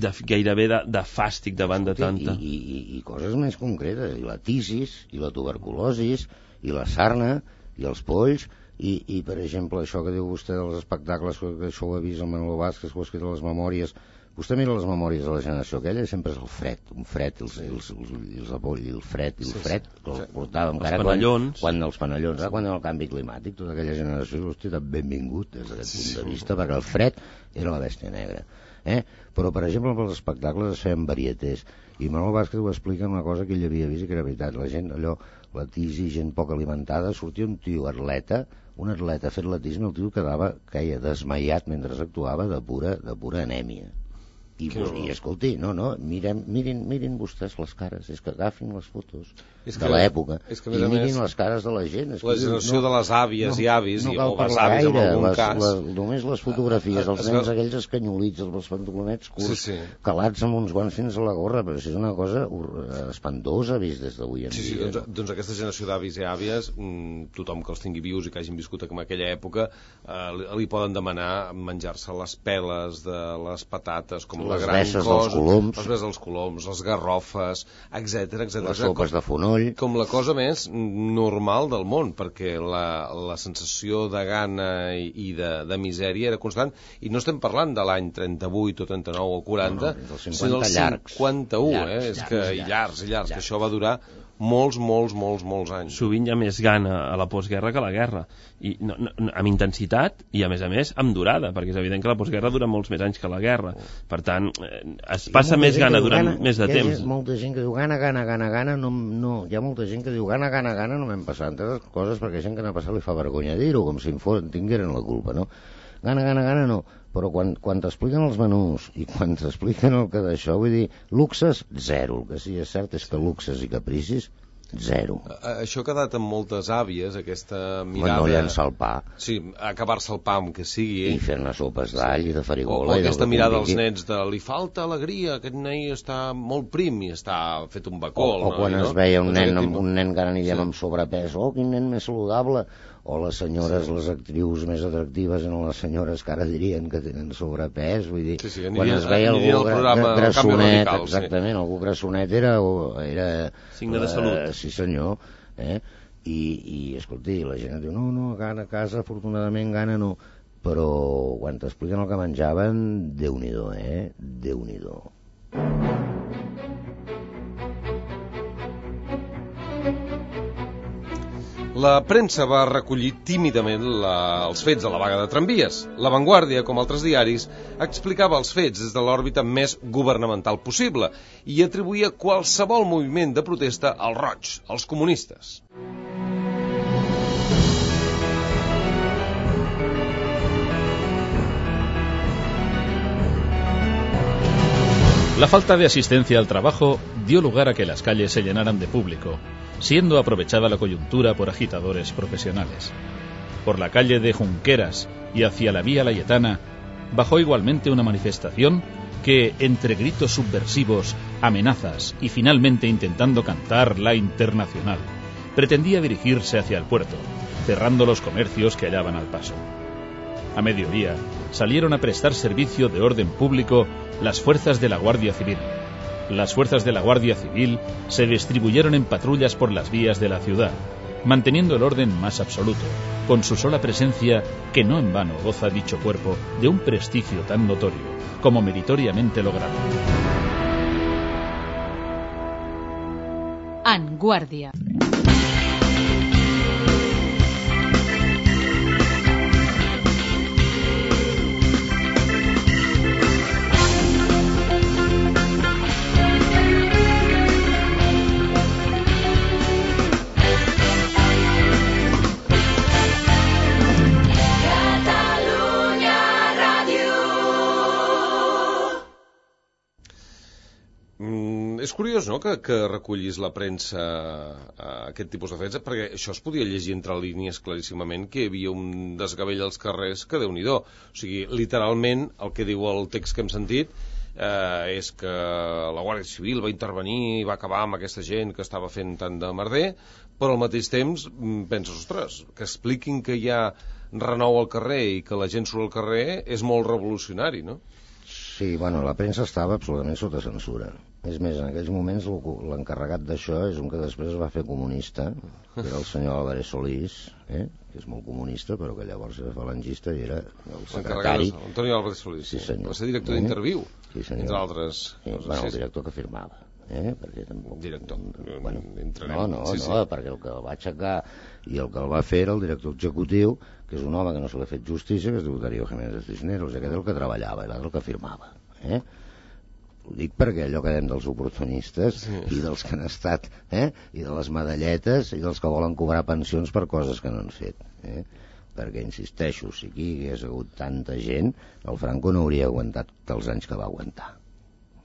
de gairebé de, de fàstic davant de tanta... I, i, i coses més concretes, i la tisis, i la tuberculosis, i la sarna, i els polls, i, i per exemple, això que diu vostè dels espectacles, que això ho ha vist el Manolo Vázquez, que ho ha escrit a les memòries. Vostè mira les memòries de la generació aquella, sempre és el fred, un fred, els, els, els, els apoll, el fred, i el fred, que el portàvem encara quan, quan els panellons, eh, quan el canvi climàtic, tota aquella generació, hosti, benvingut des d'aquest punt de vista, perquè el fred era la bèstia negra. Eh? Però, per exemple, pels espectacles es feien varietés, i Manolo Vázquez ho explica una cosa que ell havia vist i que era veritat. La gent, allò, la tisi, gent poc alimentada, sortia un tio atleta, un atleta fet l'atisme, el tio quedava, caia desmaiat mentre actuava de pura, de pura anèmia. I, i escolti, no, no, miren, mirin, mirin vostès les cares, és que agafin les fotos és de que, l'època és que, i mirin més, les cares de la gent. És la generació no, de les àvies no, i avis, no i, o les àvies en algun les, cas. Les, només les fotografies, els es, nens es, aquells escanyolits, els pantalonets curts, sí, sí. calats amb uns guants fins a la gorra, però això és una cosa espantosa vist des d'avui en sí, dia. Sí, doncs, doncs aquesta generació d'avis i àvies, tothom que els tingui vius i que hagin viscut en aquella època, eh, li poden demanar menjar-se les peles de les patates, com les la gran cosa, els coloms, els bes dels coloms, les garrofes, etcètera, etcètera. Les sopes de fonoll. Com la cosa més normal del món, perquè la, la sensació de gana i, i de, de misèria era constant, i no estem parlant de l'any trenta-vuit o trenta-nou o quaranta, no, no, sinó del cinquanta-u, eh? És que, i llargs, i llargs, que això va durar molts, molts, molts, molts anys. Sovint hi ha més gana a la postguerra que a la guerra, i no, no, amb intensitat i a més a més amb durada, perquè és evident que la postguerra dura molts més anys que la guerra, per tant es passa més gana durant gana, més de temps. Hi ha molta gent que diu gana, gana, gana, gana, no, no, hi ha molta gent que diu gana, gana, gana, no m'hem passat entre les coses perquè gent que n'ha passat li fa vergonya dir-ho, com si en fos, tingueren la culpa, no? Gana, gana, gana, no. Però quan, quan t'expliquen els menús i quan t'expliquen el que d'això, vull dir, luxes, zero. El que sí és cert és que luxes i capricis, zero. Això ha quedat amb moltes àvies, aquesta mirada... No llençar el pa. Sí, acabar-se el pa amb que sigui. I fer-ne sopes d'all i de farigola. O, o aquesta mirada als nens de li falta alegria, aquest nen està molt prim i està fet un bacol. O, o no? quan I, es no? veia un nen, amb, un nen que ara anirem sí. amb sobrepès, oh, quin nen més saludable, o les senyores, les actrius més atractives eren les senyores que ara dirien que tenen sobrepès, vull dir, sí, sí, quan es veia algú grassonet, exactament, sí. Algú grassonet era, era signe de salut. Uh, sí senyor, eh? I, i escolti, la gent diu, no, no, a casa afortunadament gana no, però quan t'expliquen el que menjaven, Déu-n'hi-do, eh? Déu-n'hi-do. La premsa va recollir tímidament la, els fets de la vaga de tramvies. La Vanguardia, com altres diaris, explicava els fets des de l'òrbita més governamental possible i atribuïa qualsevol moviment de protesta als roigs, als comunistes. La falta de asistencia al trabajo dio lugar a que las calles se llenaran de público, siendo aprovechada la coyuntura por agitadores profesionales. Por la calle de Junqueras y hacia la vía Layetana bajó igualmente una manifestación que, entre gritos subversivos, amenazas y finalmente intentando cantar la Internacional, pretendía dirigirse hacia el puerto, cerrando los comercios que hallaban al paso. A mediodía salieron a prestar servicio de orden público las fuerzas de la Guardia Civil. Las fuerzas de la Guardia Civil se distribuyeron en patrullas por las vías de la ciudad, manteniendo el orden más absoluto, con su sola presencia, que no en vano goza dicho cuerpo de un prestigio tan notorio como meritoriamente logrado. Vanguardia. És curiós, no?, que, que recollis la premsa a aquest tipus de fets, perquè això es podia llegir entre línies claríssimament, que hi havia un desgavell als carrers que Déu-n'hi-do. O sigui, literalment, el que diu el text que hem sentit eh, és que la Guàrdia Civil va intervenir i va acabar amb aquesta gent que estava fent tant de merder, però al mateix temps penses, ostres, que expliquin que hi ha renou al carrer i que la gent surt al carrer és molt revolucionari, no? Sí, bueno, la premsa estava absolutament sota censura. És més, en aquells moments l'encarregat d'això és un que després es va fer comunista, que era el senyor Álvarez Solís, eh? Que és molt comunista, però que llavors era falangista i era el secretari. Antonio Álvarez Solís, sí, senyor. Va ser director d'Interviu, sí, entre altres. Sí, bueno, el director que firmava. Eh? Perquè tampoc... Director. Bueno, no, no, sí, sí. no, perquè el que el va aixecar i el que el va fer era el director executiu, que és un home que no se l'ha fet justícia, que es diu Darío Jiménez Cisneros, i aquest és el que treballava, i l'altre el que firmava. Eh? Ho dic perquè allò que dèiem dels oportunistes sí. i dels que han estat, eh? I de les medalletes i dels que volen cobrar pensions per coses que no han fet. Eh? Perquè, insisteixo, si aquí hi hagués hagut tanta gent, el Franco no hauria aguantat els anys que va aguantar.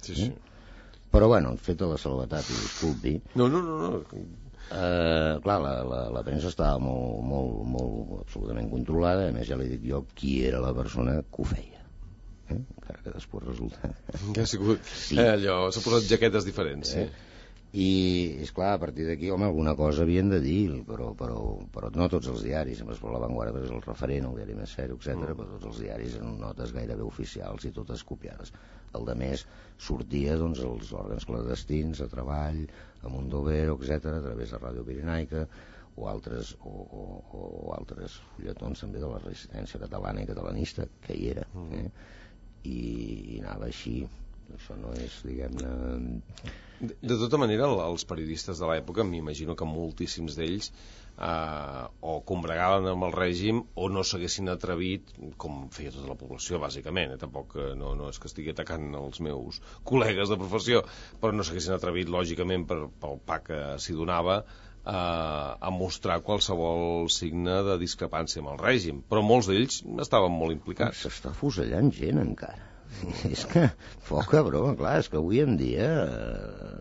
Sí, sí. Eh? Però, bueno, feta la salvetat, i disculpi... No, no, no, no. Eh, clar, la, la, la premsa estava molt, molt, molt absolutament controlada, a més ja li dic jo qui era la persona que ho feia. Eh? Encara que després resulta... Que ha sigut... Sí. Eh, allò, s'ha posat jaquetes diferents, sí. Eh? I, esclar, a partir d'aquí, home, alguna cosa havien de dir, però, però, però no tots els diaris, sempre per La Vanguardia és el referent, el diari més sèrio, etcètera, mm. però tots els diaris eren notes gairebé oficials i totes copiades. El de més sortia, doncs, els òrgans clandestins, a Treball, a Mondovero, etcètera, a través de Ràdio Pirenaica, o altres, o, o, o altres fulletons també de la resistència catalana i catalanista, que hi era, eh? I, i anava així. Això no és, diguem-ne... De, de tota manera, els periodistes de l'època, m'imagino que moltíssims d'ells eh, o combregaven amb el règim o no s'haguessin atrevit, com feia tota la població, bàsicament, eh? Tampoc no, no és que estigui atacant els meus col·legues de professió, però no s'haguessin atrevit, lògicament, per, pel pa que s'hi donava, eh, a mostrar qualsevol signe de discrepància amb el règim. Però molts d'ells estaven molt implicats. S'està fusellant gent, encara. És que, poca broma, clar, és que avui en dia eh,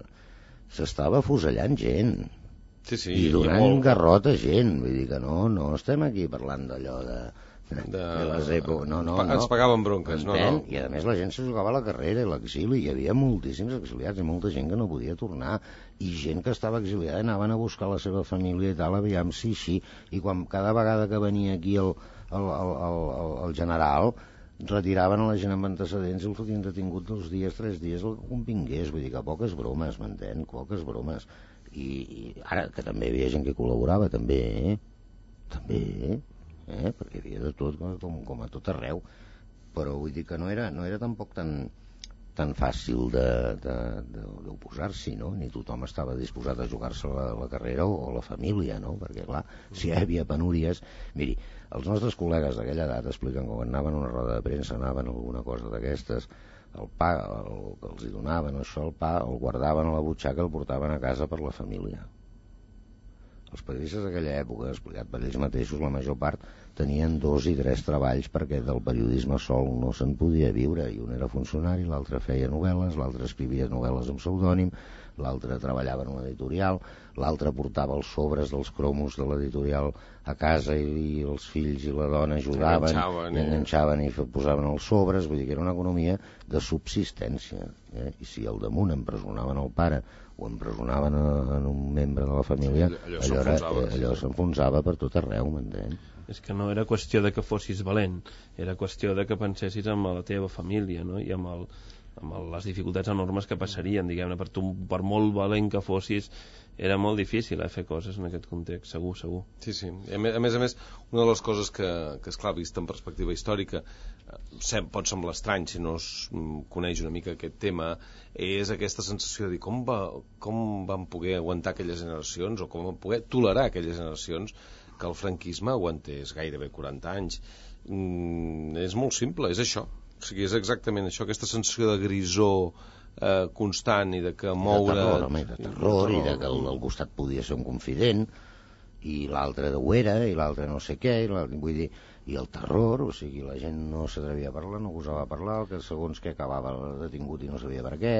s'estava fusellant gent sí, sí, i donant molt... garrot a gent, vull dir que no, no estem aquí parlant d'allò de de... de les èpoques. No, no, ens no. pagaven bronques, no, no. I a més la gent se jugava a la carrera i l'exili, hi havia moltíssims exiliats i molta gent que no podia tornar, i gent que estava exiliada anaven a buscar la seva família i tal, aviam si així, i quan cada vegada que venia aquí el, el, el, el, el general retiraven a la gent amb antecedents i el fotien detingut dos dies, tres dies, el que convingués, vull dir que poques bromes, m'entén? Poques bromes. I, i ara que també hi havia gent que col·laborava, també, eh? també, eh? perquè hi havia de tot, com, com a tot arreu, però vull dir que no era, no era tampoc tan, tan fàcil d'oposar-s'hi, no? Ni tothom estava disposat a jugar-se la, la carrera o, o la família, no? Perquè clar, si hi havia penúries, miri, els nostres col·legues d'aquella edat expliquen que quan anaven a una roda de premsa, anaven a alguna cosa d'aquestes, el pa el que els hi donaven, això, el pa, el guardaven a la butxaca, el portaven a casa per la família. Els periodistes d'aquella època, explicat per ells mateixos, la major part tenien dos i tres treballs perquè del periodisme sol no se'n podia viure, i un era funcionari, l'altre feia novel·les, l'altre escrivia novel·les amb pseudònim, l'altre treballava en una editorial, l'altre portava els sobres dels cromos de l'editorial a casa i, i els fills i la dona ajudaven, enganxaven, i enganxaven i posaven els sobres, vull dir que era una economia de subsistència, eh? I si al damunt empresonaven el pare o empresonaven a, en un membre de la família, allò, allò, allò, allò s'enfonsava per tot arreu, m'entén? És que no era qüestió de que fossis valent, era qüestió de que pensessis en la teva família, no? I amb, el, amb el, les dificultats enormes que passarien, diguem-ne, per tu, per molt valent que fossis, era molt difícil eh, fer coses en aquest context, segur, segur. Sí, sí. A més a més, a més una de les coses que, que esclar, vist en perspectiva històrica, sem, pot semblar estrany si no es coneix una mica aquest tema, és aquesta sensació de dir com, va, com van poder aguantar aquelles generacions, o com van poder tolerar aquelles generacions que el franquisme aguantés gairebé quaranta anys. Mm, és molt simple, és això. O sigui, és exactament això, aquesta sensació de grisor eh, constant i de que moure... De terror, home, de terror, i de que el del costat podia ser un confident, i l'altre ho era, i l'altre no sé què, i vull dir, i el terror, o sigui, la gent no s'atrevia a parlar, no gosava parlar, que segons que acabava detingut i no sabia per què.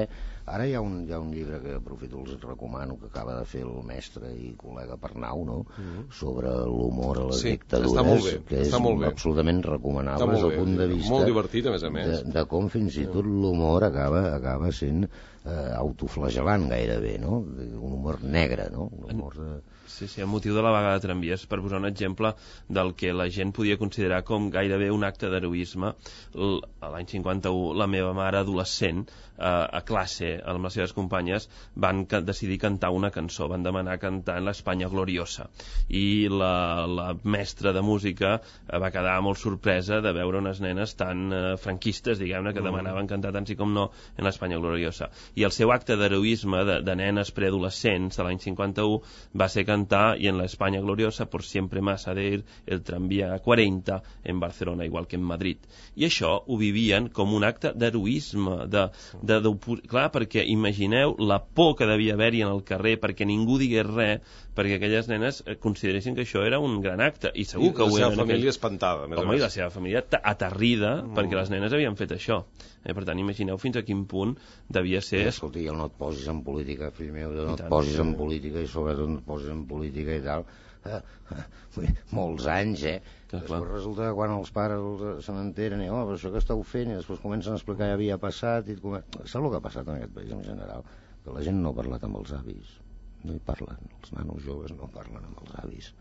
Ara hi ha un, hi ha un llibre que aprofito, els recomano, que acaba de fer el mestre i col·lega Pernau, no? Mm-hmm. Sobre l'humor a les sí, dictadures, està molt bé, que és absolutament recomanable des del punt de vista molt divertit, a més a més, de, de com fins i tot l'humor acaba, acaba sent eh, autoflagelant gairebé, no? Un humor negre, no? Un humor de... Sí, sí, el motiu de la vaga de tramvies, per posar un exemple del que la gent podia considerar com gairebé un acte d'heroisme. L'any cinquanta-u, la meva mare adolescent, eh, a classe, amb les seves companyes, van ca decidir cantar una cançó, van demanar cantar en l'Espanya gloriosa. I la, la mestra de música eh, va quedar molt sorpresa de veure unes nenes tan eh, franquistes, diguem-ne, que demanaven cantar tant sí com no en l'Espanya gloriosa. I el seu acte d'heroisme de, de nenes preadolescents de l'any cinquanta-u va ser cantar y en la España gloriosa por siempre más ha de ir el tranvía a quaranta en Barcelona, igual que en Madrid. I això ho vivien com un acte d'heroisme, de, de, de, clar, perquè imagineu la por que devia haver-hi en el carrer perquè ningú digués res, perquè aquelles nenes consideressin que això era un gran acte, i segur I que ho eren. La seva família aquell... espantada, més Home, a més. I la seva família aterrida, mm. perquè les nenes havien fet això. Eh, per tant, imagineu fins a quin punt devia ser... Eh, escolti, no et posis en política, fill meu, no et posis en política, i sobretot no et posis en política i tal. Eh, eh, molts anys, eh? Que després clar. Resulta que quan els pares se n'enteren, oh, però això que esteu fent, i després comencen a explicar què havia passat, i com... saps el que ha passat en aquest país en general? Que la gent no ha parlat amb els avis, no hi parlen, els nanos joves no parlen amb els avis.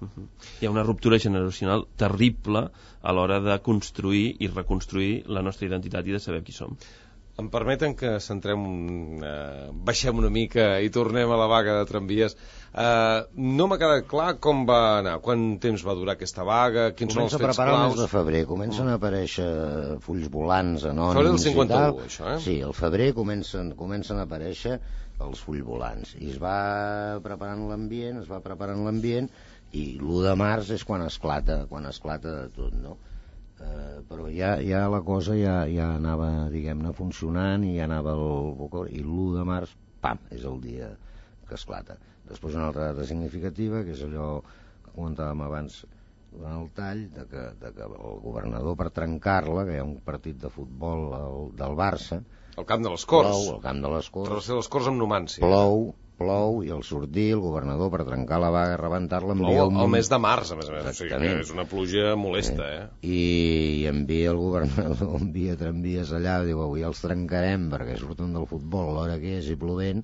Uh-huh. Hi ha una ruptura generacional terrible a l'hora de construir i reconstruir la nostra identitat i de saber qui som. Em permeten que centrem, eh, baixem una mica i tornem a la vaga de tramvies. Eh, no m'ha quedat clar com va anar, quant temps va durar aquesta vaga, quins són els fets claus. Comença a preparar el mes de febrer, comencen a aparèixer fulls volants anònims. Febrer del cinquanta-u, això, eh? Sí, al febrer comencen, comencen a aparèixer els fulls volants, i es va preparant l'ambient, es va preparant l'ambient, i l'u de març és quan esclata, quan esclata tot, no? Uh, però ja, ja la cosa ja, ja anava, diguem-ne, funcionant, i ja anava el... i l'u de març, pam, és el dia que esclata. Després una altra data significativa, que és allò que comentàvem abans durant el tall, de que, de que el governador, per trencar-la, que hi ha un partit de futbol el, del Barça, el camp de les Corts, plou, el camp de les Corts, travessa les Corts amb Numància, plou, plou i al sortir el governador per trencar la vaga i rebentar-la envia Plou un... al mes de març, a més a més, o sigui que és una pluja molesta, eh? I, i envia el governador, envia tramvies allà, diu, avui els trencarem perquè surten del futbol a l'hora que és i plovent,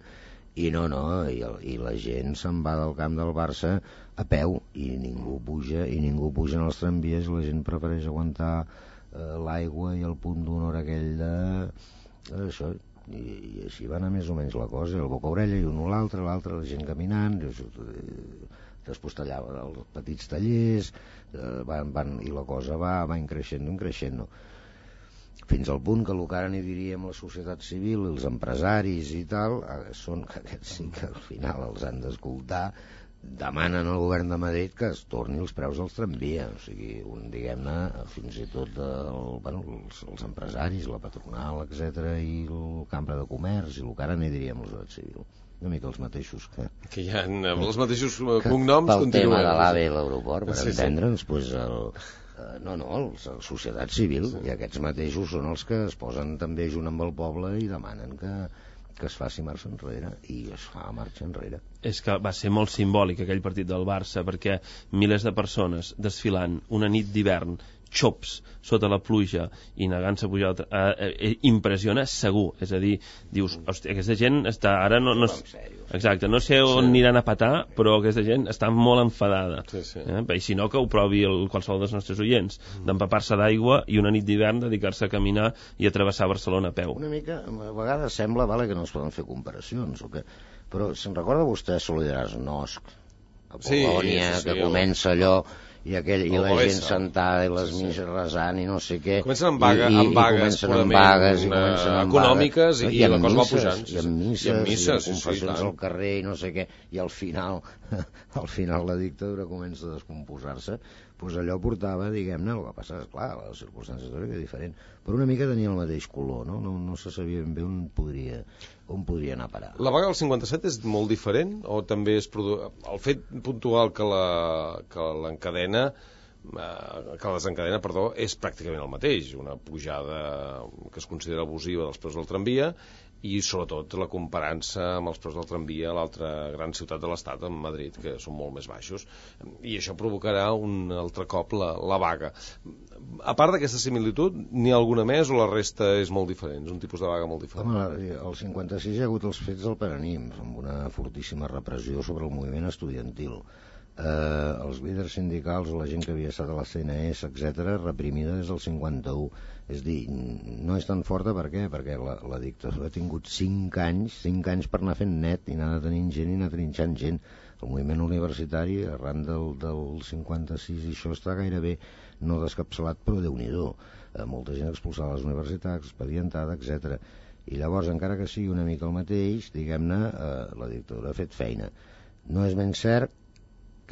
i no, no, i, el, i la gent se'n va del camp del Barça a peu, i ningú puja, i ningú puja en els tramvies, i la gent prefereix aguantar eh, l'aigua i el punt d'honor aquell de... això... I, i així va anar més o menys la cosa, el boca orella i un o l'altre, l'altre, la gent caminant, després tallaven els petits tallers, eh, van, van, i la cosa va, va increixent, increixent, fins al punt que el que ara n'hi diríem la societat civil, els empresaris i tal, són que aquests sí que al final els han d'escoltar, demanen al govern de Madrid que es torni els preus dels tramvia, o sigui, un, diguem-ne, fins i tot el, bueno, els, els empresaris, la patronal, etcètera, i el Cambra de Comerç, i el que ara n'hi diríem la societat civil. Una mica els mateixos que... Que hi ha els mateixos cognoms pel continuen. tema de l'AVE i l'aeroport, per sí, entendre'ns, doncs el... No, no, la societat civil, sí. I aquests mateixos són els que es posen també junt amb el poble i demanen que, que es faci marxa enrere, i es fa marxa enrere. És que va ser molt simbòlic aquell partit del Barça, perquè milers de persones desfilant una nit d'hivern, xops sota la pluja i negant-se a pujar eh, eh, impressiona segur, és a dir, dius, hòstia, aquesta gent està ara no, no, exacte, no sé on sí. aniran a petar, però aquesta gent està molt enfadada, sí, sí. Eh? I si no que ho provi el, qualsevol dels nostres oients, mm. d'empapar-se d'aigua i una nit d'hivern dedicar-se a caminar i a travessar Barcelona a peu. Una mica, a vegades sembla vale, que no es poden fer comparacions o que... però se'n recorda vostè Solidaràs Nosc a Polònia, sí, sí, sí, que sí, comença allò i, aquell, i la gent sentada i les sí, misses resant i no sé què, comencen amb, vaga, i, i, amb vagues, i amb vagues i comencen amb econòmiques vagues, i, i la cosa va misses, pujant i amb misses, i amb, misses, i amb confessions sí, al carrer i no sé què, i al final al final la dictadura comença a descomposar-se, doncs allò portava, diguem-ne, el que passa, esclar, la circumstància històrica és diferent, però una mica tenia el mateix color, no, no, no se sabia ben bé on podria, on podria anar a parar. La vaga del cinquanta-set és molt diferent, o també és produ... el fet puntual que la que l'encadena que la desencadena, perdó, és pràcticament el mateix, una pujada que es considera abusiva dels preus del tramvia i sobretot la comparança amb els preus del tramvia a l'altra gran ciutat de l'estat, en Madrid, que són molt més baixos, i això provocarà un altre cop la, la vaga. A part d'aquesta similitud, n'hi ha alguna més o la resta és molt diferent, és un tipus de vaga molt diferent? Home, al cinquanta-sis hi ha hagut els fets del Paranimf, amb una fortíssima repressió sobre el moviment estudiantil. Eh, els líders sindicals o la gent que havia estat a la C N S, etcètera, reprimida des del cinquanta-u. És dir, no és tan forta, per què? Perquè la, la dictadura ha tingut cinc anys, cinc anys per anar fent net i anar detenint gent i anar trinxant gent. El moviment universitari, arran del, del cinquanta-sis, i això està gairebé no descapçalat, però Déu-n'hi-do. Eh, molta gent expulsada a les universitats, expedientada, etcètera. I llavors, encara que sigui una mica el mateix, diguem-ne, eh, la dictadura ha fet feina. No és ben cert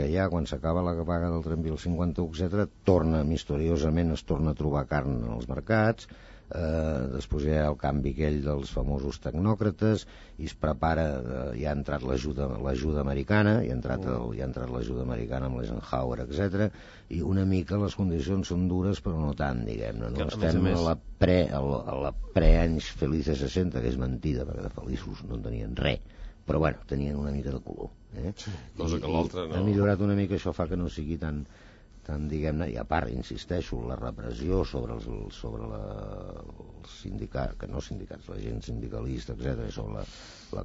que ja quan s'acaba la vaga del tramvia el cinquanta-u, etcètera, torna misteriosament, es torna a trobar carn en els mercats, eh, després hi ha el canvi aquell dels famosos tecnòcrates, i es prepara, eh, ja ha entrat l'ajuda l'ajuda americana, hi ha entrat, el, ja ha entrat l'ajuda americana amb l'Eisenhower, etcètera, i una mica les condicions són dures, però no tant, diguem-ne, no? Estem a la pre, a la, a la pre-anys felices seixanta, que és mentida, perquè de feliços no en tenien res, però bueno, tenien una mica de color, eh? Sí, cosa que l'altra no. Ha millorat una mica, això fa que no sigui tan, tan diguem-ne, i a part, insisteixo, la repressió sobre els, sobre la, els sindicats, que no sindicats, la gent sindicalista, etcètera, sobre la, la,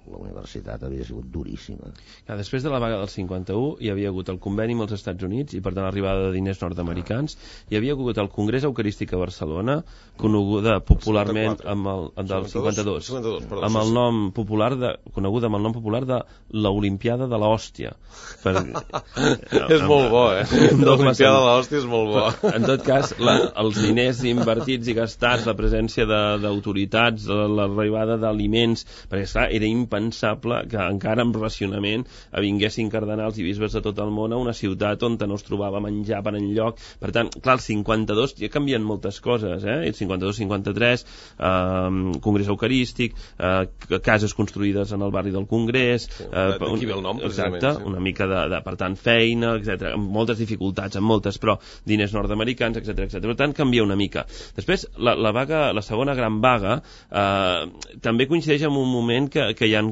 la universitat havia sigut duríssima. Ja, després de la vaga del cinquanta-u hi havia hagut el conveni amb els Estats Units i per tant l'arribada de diners nord-americans, hi havia hagut el Congrés Eucarístic a Barcelona, coneguda popularment amb el, del cinquanta-dos, amb el nom popular de, coneguda amb el nom popular de l'Olimpiada de l'Hòstia. Per, és molt bo, eh? L'Olimpiada de l'Hòstia és molt bo. En tot cas, la, els diners invertits i gastats, la presència d'autoritats, l'arribada d'aliments, perquè esclar, era impensable que encara amb racionament vinguessin cardenals i bisbes de tot el món a una ciutat on no es trobava menjar per enlloc. Per tant, clar, el cinquanta-dos ja canvien moltes coses, eh? El cinquanta-dos cinquanta-tres, eh, Congrés Eucarístic, eh, cases construïdes en el barri del Congrés, sí, eh, d'aquí ve el nom, exacte, sí. Una mica de, de per tant feina, etcètera, moltes moltes dificultats, amb moltes, però diners nord-americans, etcètera, etcètera. Per tant, canvia una mica. Després, la, la, vaga, la segona gran vaga eh, també coincideix amb un moment que, que hi ha,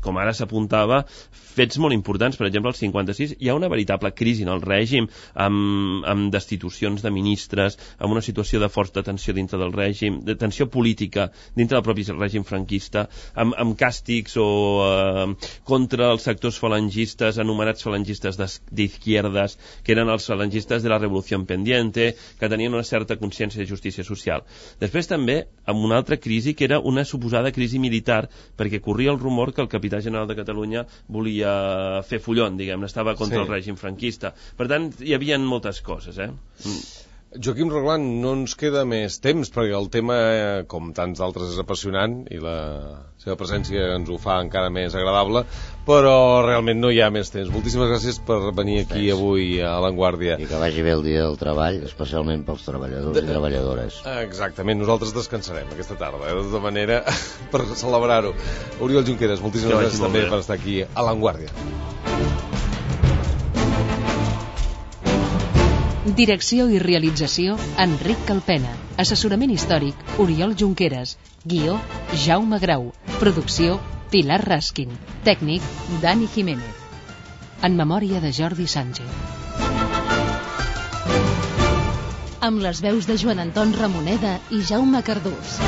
com ara s'apuntava, fets molt importants. Per exemple, al cinquanta-sis hi ha una veritable crisi en el règim, amb, amb destitucions de ministres, amb una situació de forta tensió dintre del règim, de tensió política dintre del propi règim franquista, amb, amb càstigs o eh, contra els sectors falangistes, anomenats falangistes d'izquierdes, que eren els falangistes de la Revolució Pendiente, que tenien una certa consciència de justícia social. Després també amb una altra crisi, que era una suposada crisi militar, perquè corria el rumor que el capità general de Catalunya volia fer follon, diguem, estava contra sí. el règim franquista. Per tant, hi havia moltes coses, eh? Mm. Joaquim Roglan, no ens queda més temps, perquè el tema, com tants d'altres, és apassionant i la seva presència ens ho fa encara més agradable, però realment no hi ha més temps. Moltíssimes gràcies per venir aquí sí. avui a L'Avantguàrdia. I que vagi bé el dia del treball, especialment pels treballadors de... i treballadores. Exactament, nosaltres descansarem aquesta tarda, eh? De tota manera, per celebrar-ho. Oriol Junqueras, moltíssimes que gràcies també per estar aquí a L'Avantguàrdia. Direcció i realització, Enric Calpena. Assessorament històric, Oriol Junqueras. Guió, Jaume Grau. Producció, Pilar Raskin. Tècnic, Dani Jiménez. En memòria de Jordi Sánchez. Amb les veus de Joan Anton Ramoneda i Jaume Cardús.